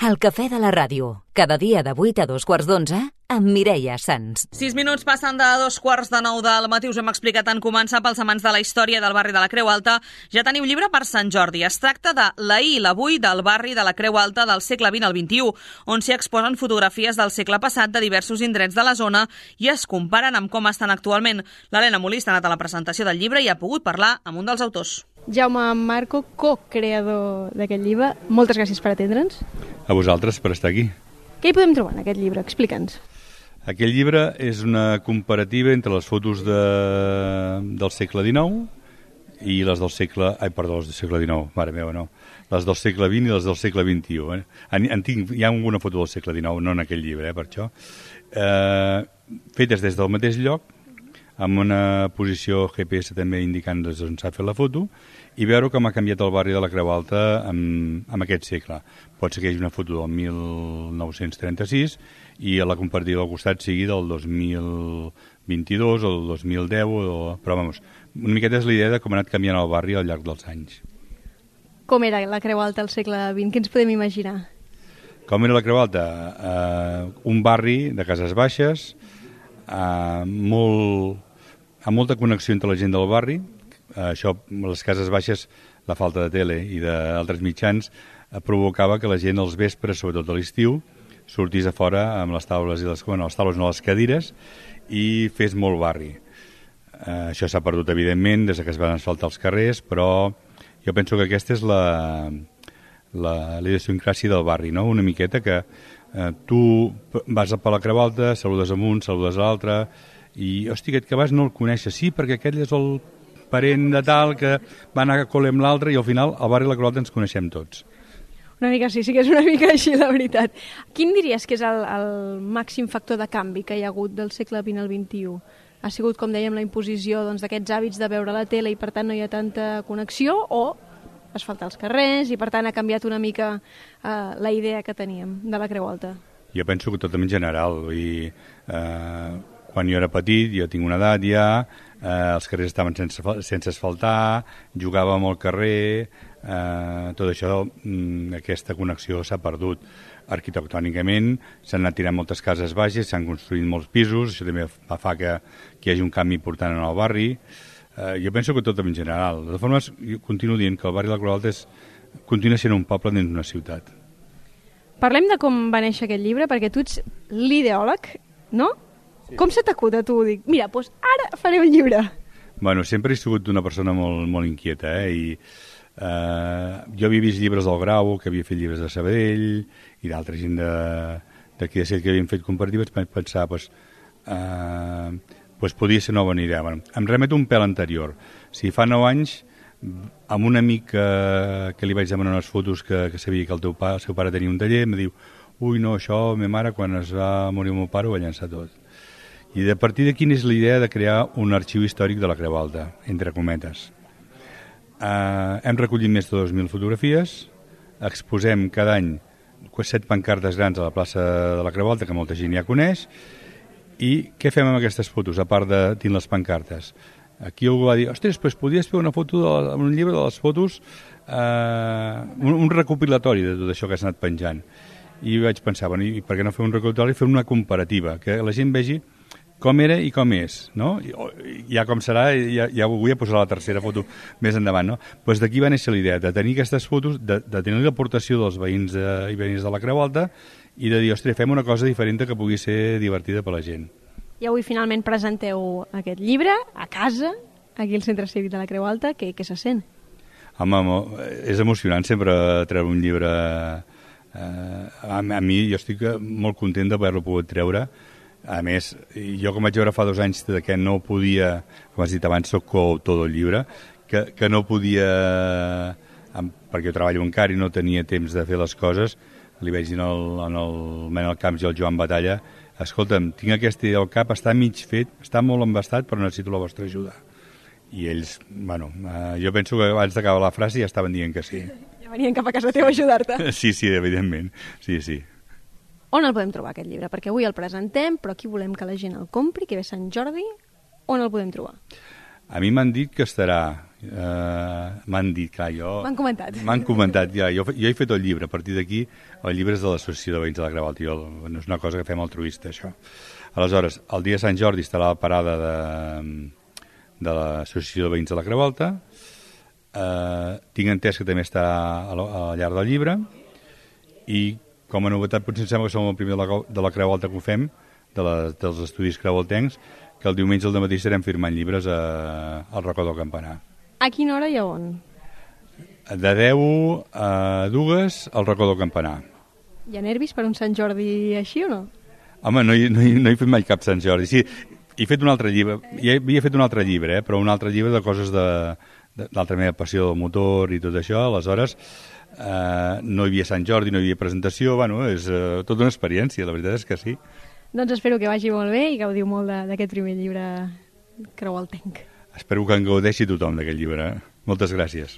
El cafè de la ràdio, cada dia de 8 a 2:45, amb Mireia Sans. 6 minuts passen de 8:45 del matí. Us hem explicat en començar pels amants de la història del barri de la Creu Alta. Ja teniu llibre per Sant Jordi. Es tracta de l'ahir i l'avui del barri de la Creu Alta del segle XX al XXI, on s'hi exposen fotografies del segle passat de diversos indrets de la zona i es comparen amb com estan actualment. L'Helena Molist ha anat a la presentació del llibre i ha pogut parlar amb un dels autors. Jaume Marco, co-creador d'aquest llibre, moltes gràcies per atendre'ns. A vosaltres per estar aquí. Què hi podem trobar en aquest llibre? Explica'ns. Aquest llibre és una comparativa entre les fotos del segle XIX i les del segle... les del segle XIX, mare meva, no. Les del segle XX i les del segle XXI. Hi ha alguna foto del segle XIX, no en aquell llibre, per això. Fetes des del mateix lloc, amb una posició GPS també indicant on s'ha fet la foto, i veure com ha canviat el barri de la Creu Alta en aquest segle. Pot ser que hi hagi una foto del 1936 i la comparativa al costat sigui del 2022 o del 2010, però vamos, una miqueta és la idea de com ha anat canviant el barri al llarg dels anys. Com era la Creu Alta al segle XX? Què ens podem imaginar? Com era la Creu Alta? Un barri de cases baixes, amb molta connexió entre la gent del barri. Això, les cases baixes, la falta de tele i d'altres mitjans provocava que la gent als vespres, sobretot a l'estiu, sortís a fora amb les taules i les taules no, les cadires, i fes molt barri. Això s'ha perdut evidentment des que es van asfaltar els carrers, però jo penso que aquesta és la idiosincràsia del barri, no? Una miqueta que tu vas per la Creu Alta, saludes amb un, saludes a l'altre, i, hosti, aquest que vas no el coneixes, sí, perquè aquell és el parent de tal que va anar a col·le amb l'altre, i al final al barri de la Creu Alta ens coneixem tots. Una mica sí que és una mica així, la veritat. Quin diries que és el màxim factor de canvi que hi ha hagut del segle XX al XXI? Ha sigut, com dèiem, la imposició d'aquests hàbits de veure la tele i per tant no hi ha tanta connexió, o asfaltar els carrers i per tant ha canviat una mica la idea que teníem de la Creu Alta? Jo penso que tot en general. Quan jo era petit, jo tinc una edat ja, els carrers estaven sense asfaltar, jugàvem al carrer, tot això, aquesta connexió s'ha perdut. Arquitectònicament s'han anat tirant moltes cases baixes, s'han construït molts pisos, això també fa que hi hagi un canvi important en el barri. Jo penso que tot en general. De totes formes, jo continuo dient que el barri de la Creu Alta continua sent un poble dins d'una ciutat. Parlem de com va néixer aquest llibre, perquè tu ets l'ideòleg, no? Sí. Com se t'acut a tu? Dic, mira, doncs ara faré un llibre. Bueno, sempre he sigut una persona molt, molt inquieta, i jo havia vist llibres del Grau, que havia fet llibres de Sabadell, i d'altra gent d'aquí de Sella que havien fet comparatives, vaig pensar, podria ser una bona idea. Bueno, em remeto un pèl anterior. Si fa 9 anys, amb un amic que li vaig demanar unes fotos que sabia que el seu pare tenia un taller, em diu, ui, no, això, ma mare, quan es va morir el meu pare, ho va llançar tot. I de partir d'aquí és la idea de crear un arxiu històric de la Creu Alta, entre cometes. Hem recollit més de 2.000 fotografies, exposem cada any 7 pancartes grans a la plaça de la Creu Alta, que molta gent ja coneix, i què fem amb aquestes fotos, a part de dins les pancartes? Aquí algú va dir, ostres, doncs podries fer una foto, un llibre de les fotos, un recopilatori de tot això que s'ha anat penjant. I vaig pensar, bueno, i per què no fer un recopilatori, fer una comparativa, que la gent vegi com era i com és, no? Ja com serà, ja vull posar la tercera foto més endavant, no? Doncs d'aquí va néixer la idea de tenir aquestes fotos, de tenir l'aportació dels veïns i veïnes de la Creu Alta, i de dir, ostres, fem una cosa diferent que pugui ser divertida per la gent. I avui finalment presenteu aquest llibre a casa, aquí al Centre Cívic de la Creu Alta. Què se sent? Home, és emocionant sempre treure un llibre. A mi, jo estic molt content d'haver-lo pogut treure. A més, jo com vaig veure fa 2 anys que no podia, com has dit abans, soc coautor del llibre, que no podia, perquè jo treballo encara i no tenia temps de fer les coses, li vaig dir en el Manel Camps i el Joan Batalla, escolta'm, tinc aquesta idea al cap, està mig fet, està molt embastat, però necessito la vostra ajuda. I ells, bueno, jo penso que abans d'acabar la frase ja estaven dient que sí. Ja venien cap a casa teva a ajudar-te. Sí, evidentment, sí. On el podem trobar, aquest llibre? Perquè avui el presentem, però aquí volem que la gent el compri, que ve Sant Jordi. On el podem trobar? A mi m'han dit que estarà... m'han dit, clar, jo... M'han comentat. M'han comentat, ja. Jo he fet el llibre. A partir d'aquí, el llibre és de l'Associació de Veïns de la Creu Alta. No és una cosa que fem altruista, això. Aleshores, el dia de Sant Jordi estarà a la parada de l'Associació de Veïns de la Creu Alta. Tinc entès que també estarà al llarg del llibre. I, com a novetat, potser em sembla que som el primer de la Creu Alta que ho fem, dels estudis creualtencs, que el diumenge al dematí estarem firmant llibres al racó del Campanar. A quina hora i a on? De 10 a 2 al racó del Campanar. Hi ha nervis per un Sant Jordi així o no? Home, no he fet mai cap Sant Jordi. Sí, he fet un altre llibre, ja havia fet un altre llibre, però un altre llibre de coses de l'altra meva passió del motor i tot això. Aleshores, no hi havia Sant Jordi, no hi havia presentació, bueno, és tota una experiència, la veritat és que sí. Doncs espero que vagi molt bé i gaudiu molt d'aquest primer llibre creualtenc. Espero que en gaudeixi tothom d'aquest llibre. Moltes gràcies.